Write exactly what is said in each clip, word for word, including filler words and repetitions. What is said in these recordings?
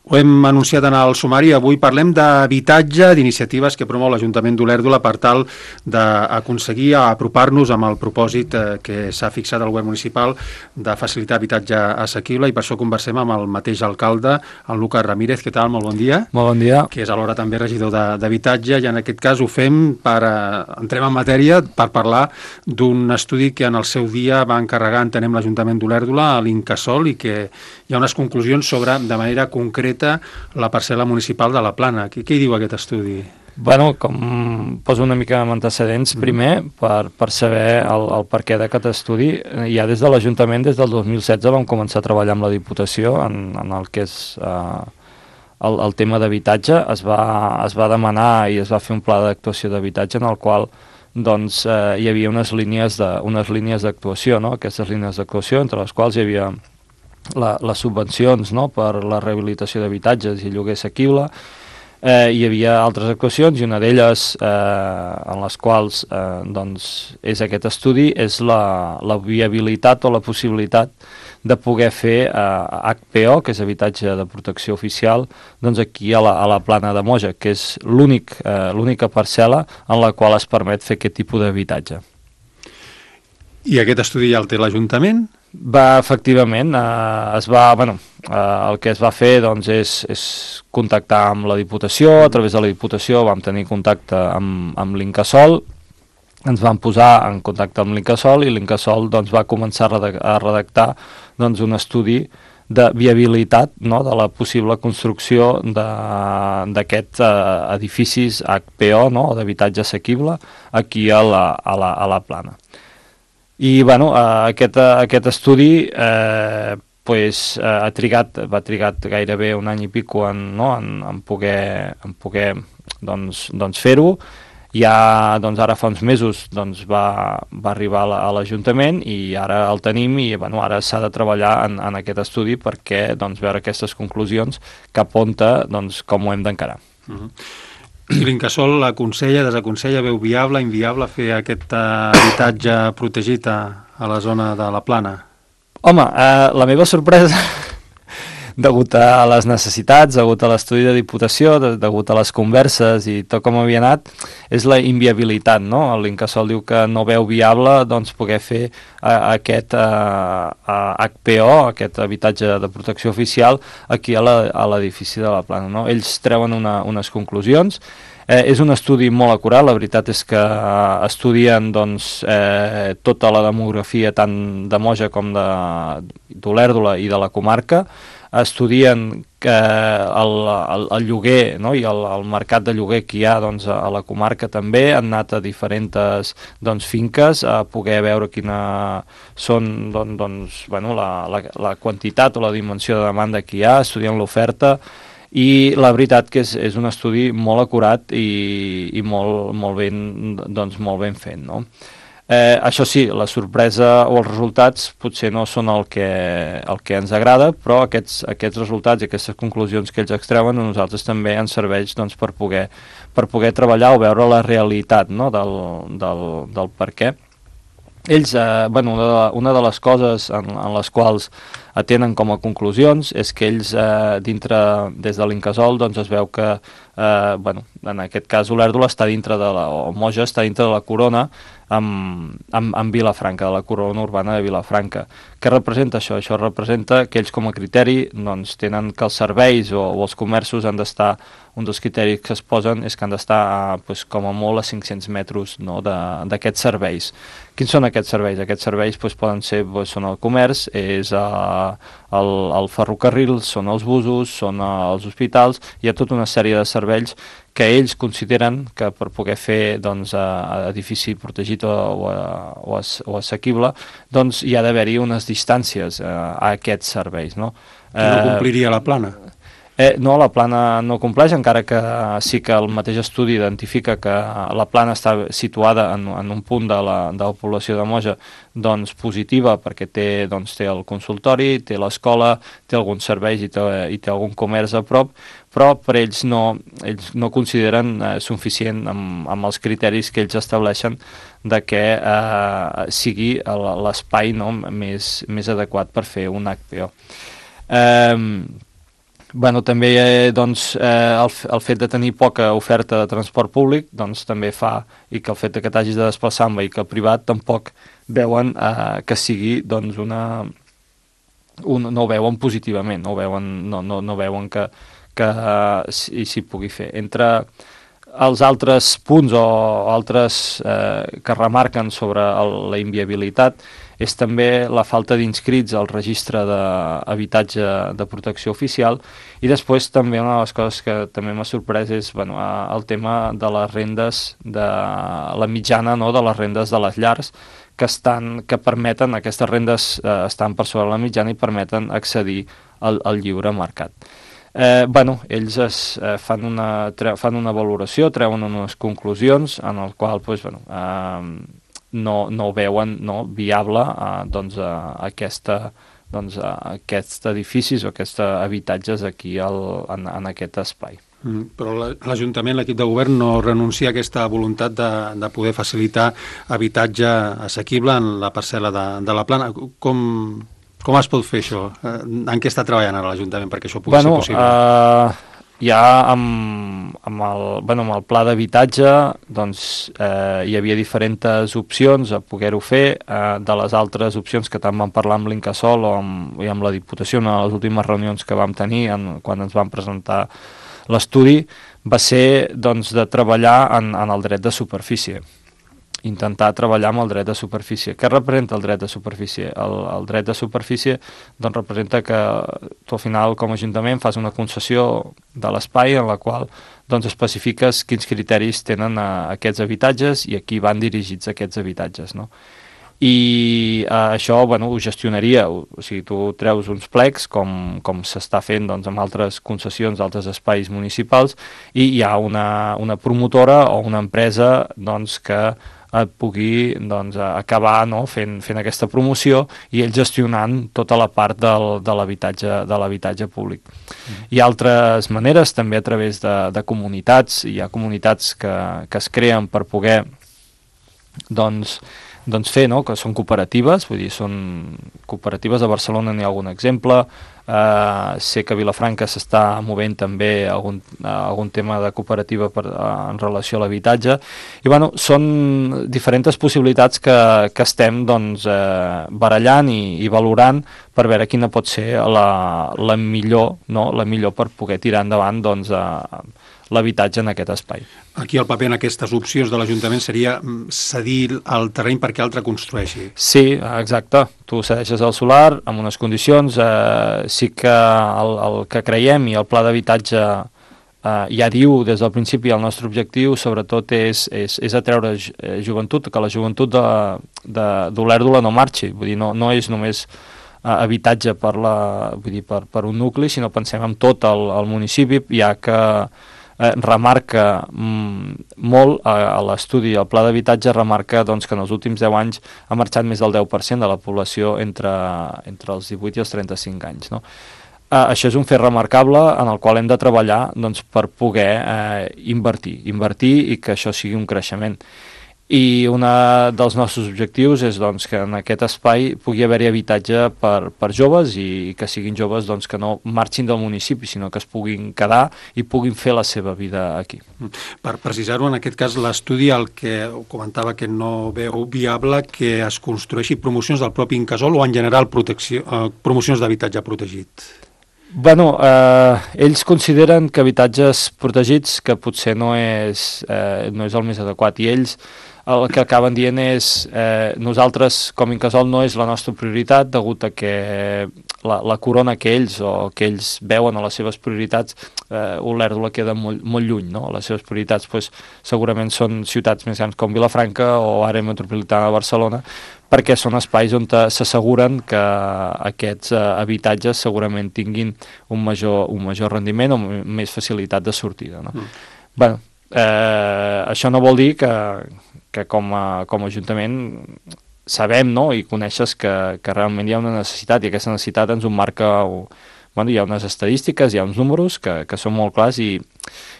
Ho hem anunciat en el sumari. Avui parlem d'habitatge, d'iniciatives que promou l'Ajuntament d'Olèrdola per tal d'aconseguir apropar-nos amb el propòsit que s'ha fixat al govern municipal de facilitar habitatge assequible, i per això conversem amb el mateix alcalde, en Lucas Ramírez. Què tal? Molt bon dia. Molt bon dia. Que és alhora també regidor d'habitatge, i en aquest cas ho fem per, entrem en matèria, per parlar d'un estudi que en el seu dia va encarregar, entenem, l'Ajuntament d'Olèrdola a l'Incasòl, i que hi ha unes conclusions sobre, de manera concreta, la parcel·la municipal de la Plana. Què, què hi diu aquest estudi? Bueno, com poso una mica amb antecedents, mm. primer, per, per saber el, el perquè d'aquest estudi. Ja des de l'Ajuntament, des del dos mil setze, vam començar a treballar amb la Diputació en, en el que és eh, el, el tema d'habitatge. Es va, es va demanar i es va fer un pla d'actuació d'habitatge en el qual doncs, eh, hi havia unes línies de, unes línies d'actuació, no? Aquestes línies d'actuació, entre les quals hi havia La, les subvencions, no?, per la rehabilitació d'habitatges i lloguer assequible. Eh, hi havia altres actuacions, i una d'elles eh, en les quals eh, doncs, és aquest estudi, és la, la viabilitat o la possibilitat de poder fer eh, H P O, que és habitatge de protecció oficial, doncs aquí a la, a la Plana de Moja, que és l'únic, eh, l'única parcel·la en la qual es permet fer aquest tipus d'habitatge. I aquest estudi ja el té l'Ajuntament? Va, efectivament, eh, es va, bueno, eh, el que es va fer doncs, és, és contactar amb la Diputació. A través de la Diputació vam tenir contacte amb, amb l'Incasòl, ens vam posar en contacte amb l'Incasòl, i l'Incasòl doncs, va començar a redactar, a redactar doncs, un estudi de viabilitat, no?, de la possible construcció d'aquests eh, edificis H P O, no?, d'habitatge assequible aquí a la, a la, a la Plana. I bueno, eh, aquest, aquest estudi eh, pues, eh, ha trigat, va trigat gairebé un any i pico en, no, en, en poder, en poder doncs, doncs fer-ho. Ja doncs, ara fa uns mesos doncs, va, va arribar a l'Ajuntament, i ara el tenim, i bueno, ara s'ha de treballar en, en aquest estudi perquè doncs, veure aquestes conclusions cap on, doncs, com ho hem d'encarar. Uh-huh. I l'Incasòl aconsella, desaconsella, veu viable, inviable fer aquest uh, habitatge protegit a, a la zona de la Plana? Home, eh, la meva sorpresa, degut a les necessitats, degut a l'estudi de Diputació, de, degut a les converses i tot com havia anat, és la inviabilitat, no? L'Incasòl diu que no veu viable doncs, poder fer eh, aquest eh, H P O, aquest habitatge de protecció oficial, aquí a l'edifici de la Plana, no? Ells treuen una, unes conclusions. Eh, és un estudi molt acurat, la veritat és que eh, estudien doncs, eh, tota la demografia tant de Moja com d'Olèrdola i de la comarca. Estudien que el, el, el lloguer, no?, i el, el mercat de lloguer que hi ha doncs, a la comarca també. Han anat a diferents doncs, finques a poder veure quina són doncs, doncs, bueno, la, la, la quantitat o la dimensió de demanda que hi ha, estudien l'oferta. I la veritat que és, és un estudi molt acurat i, i molt, molt, ben, doncs, molt ben fet, no? Eh, això sí, la sorpresa o els resultats potser no són el que, el que ens agrada, però aquests, aquests resultats i aquestes conclusions que ells extreuen a nosaltres també ens serveix doncs, per, poder, per poder treballar o veure la realitat, no?, del, del, del per què. Ells, eh, bueno, una de, una de les coses en, en les quals atenen com a conclusions és que ells, eh, dintre, des de l'Incasòl, doncs es veu que, eh, bueno, en aquest cas Olèrdola està dintre de la, o Moja està dintre de la corona amb, amb, amb Vilafranca, de la corona urbana de Vilafranca. Què representa això? Això representa que ells com a criteri doncs, tenen que els serveis o, o els comerços han d'estar, un dels criteris que es posen és que han d'estar pues, com a molt a cinc-cents metres, no?, d'aquests serveis. Quins són aquests serveis? Aquests serveis pues, poden ser, pues, són el comerç, és uh, el, el ferrocarril, són els busos, són uh, els hospitals. Hi ha tota una sèrie de serveis que ells consideren que per poder fer doncs, uh, edifici protegit o, o, o, o assequible, doncs hi ha d'haver-hi unes distàncies uh, a aquests serveis, no? Que no compliria la Plana? Eh, no, la Plana no compleix, encara que sí que el mateix estudi identifica que la Plana està situada en, en un punt de la, de la població de Moja doncs, positiva, perquè té, doncs, té el consultori, té l'escola, té alguns serveis i té, i té algun comerç a prop, però per ells no, ells no consideren eh, suficient amb, amb els criteris que ells estableixen de que eh, sigui l'espai, no, més, més adequat per fer un H P O. Eh, bueno, també eh, doncs, eh, el, el fet de tenir poca oferta de transport públic doncs, també fa, i que el fet de que t'hagis de desplaçar en vehicle privat tampoc veuen eh, que sigui doncs, una... Un, no ho veuen positivament, no, ho veuen, no, no, no veuen que, que uh, s'hi si pugui fer. Entre els altres punts o altres eh, que remarquen sobre el, la inviabilitat és també la falta d'inscrits al registre d'habitatge de protecció oficial, i després també una de les coses que també m'ha sorprès és bueno, el tema de les rendes, de la mitjana no, de les rendes de les llars, que, estan, que permeten, aquestes rendes eh, estan per sobre la mitjana i permeten accedir al, al lliure mercat. Eh, bueno, ells es, eh, fan, una, tre, fan una valoració, treuen unes conclusions en el qual pues, bueno, eh, no, no veuen no, viable eh, doncs, eh, aquesta, doncs, eh, aquests edificis o aquests habitatges aquí al, en, en aquest espai. Mm, però l'Ajuntament, l'equip de govern, no renuncia a aquesta voluntat de, de poder facilitar habitatge assequible en la parcel·la de, de la Plana. Com, com es pot fer això? En què està treballant ara l'Ajuntament perquè això pugui bueno, ser possible? Uh, ja amb, amb, el, bueno, amb el pla d'habitatge doncs, eh, hi havia diferents opcions a poder-ho fer. Eh, de les altres opcions que tant vam parlar amb l'Incasòl o amb, i amb la Diputació en les últimes reunions que vam tenir en, quan ens van presentar l'estudi, va ser doncs, de treballar en, en el dret de superfície, intentar treballar amb el dret de superfície. Què representa el dret de superfície? El, el dret de superfície doncs, representa que tu al final com a Ajuntament fas una concessió de l'espai en la qual doncs, especifiques quins criteris tenen a, aquests habitatges i a qui van dirigits aquests habitatges, no? I eh, això bueno, ho gestionaria, o, o sigui, tu treus uns plecs com, com s'està fent doncs, amb altres concessions d'altres espais municipals, i hi ha una, una promotora o una empresa doncs, que et pugui doncs, acabar no, fent, fent aquesta promoció i ells gestionant tota la part del, de l'habitatge de l'habitatge públic. Mm. Hi ha altres maneres, també a través de, de comunitats, hi ha comunitats que, que es creen per poder doncs, doncs fer, no? Que són cooperatives, vull dir, són cooperatives. A Barcelona n'hi ha algun exemple, eh, sé que a Vilafranca s'està movent també algun, eh, algun tema de cooperativa per, eh, en relació a l'habitatge, i bueno, són diferents possibilitats que, que estem doncs, eh, barallant i, i valorant per veure quina pot ser la, la millor, no? La millor per poder tirar endavant doncs, eh, l'habitatge en aquest espai. Aquí el paper en aquestes opcions de l'Ajuntament seria cedir el terreny perquè altre construeixi. Sí, exacte. Tu cedeixes el solar amb unes condicions. Eh, sí que el, el que creiem i el pla d'habitatge eh, ja diu des del principi el nostre objectiu sobretot és, és, és atreure joventut, que la joventut d'Olèrdola no marxi. Vull dir, no, no és només eh, habitatge per, la, vull dir, per, per un nucli, sinó pensem en tot el, el municipi, ja que Eh, remarca mm, molt a, a l'estudi, el pla d'habitatge remarca doncs, que en els últims deu anys ha marxat més del deu per cent de la població entre, entre els divuit i els trenta-cinc anys. No? Eh, això és un fet remarcable en el qual hem de treballar doncs, per poder eh, invertir, invertir i que això sigui un creixement. I un dels nostres objectius és doncs, que en aquest espai pugui haver-hi habitatge per, per joves i que siguin joves doncs, que no marxin del municipi, sinó que es puguin quedar i puguin fer la seva vida aquí. Per precisar-ho, en aquest cas, l'estudi el que comentava que no veu viable que es construeixi promocions del propi Incasòl o en general protecció, eh, promocions d'habitatge protegit. Bueno, eh, ells consideren que habitatges protegits que potser no és, eh, no és el més adequat, i ells el que acaben dient és eh, nosaltres com Incasòl no és la nostra prioritat degut a que la, la corona que ells o que ells veuen a les seves prioritats, eh, Olèrdola queda molt, molt lluny, no? Les seves prioritats pues, segurament són ciutats més grans com Vilafranca o àrea metropolitana de Barcelona, perquè són espais on s'asseguren que aquests eh, habitatges segurament tinguin un major, un major rendiment o més facilitat de sortida. No? Mm. Bueno, eh, això no vol dir que, que com, a, com a Ajuntament sabem, no? I coneixes que, que realment hi ha una necessitat, i aquesta necessitat ens ho marca bueno, hi ha unes estadístiques, hi ha uns números que, que són molt clars i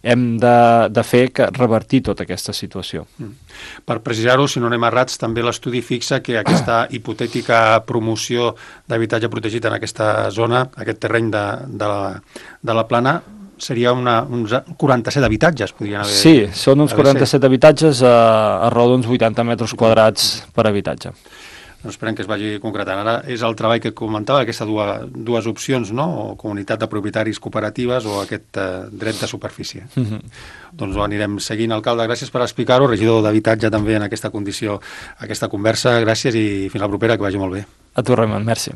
hem de, de fer que revertir tota aquesta situació. Mm. Per precisar-ho, si no anem errats, també l'estudi fixa que aquesta hipotètica promoció d'habitatge protegit en aquesta zona, aquest terreny de, de, la, de la Plana, seria una, uns quaranta-set habitatges, podrien haver... Sí, són uns quaranta-set habitatges a, a raó d'uns vuitanta metres quadrats per habitatge. Doncs esperem que es vagi concretant. Ara és el treball que comentava, aquestes dues, dues opcions, no? O comunitat de propietaris cooperatives o aquest eh, dret de superfície. Mm-hmm. Doncs ho anirem seguint, alcalde. Gràcies per explicar-ho. Regidor d'Habitatge també en aquesta condició, aquesta conversa. Gràcies i fins la propera, que vagi molt bé. A tu, Raimon. Merci.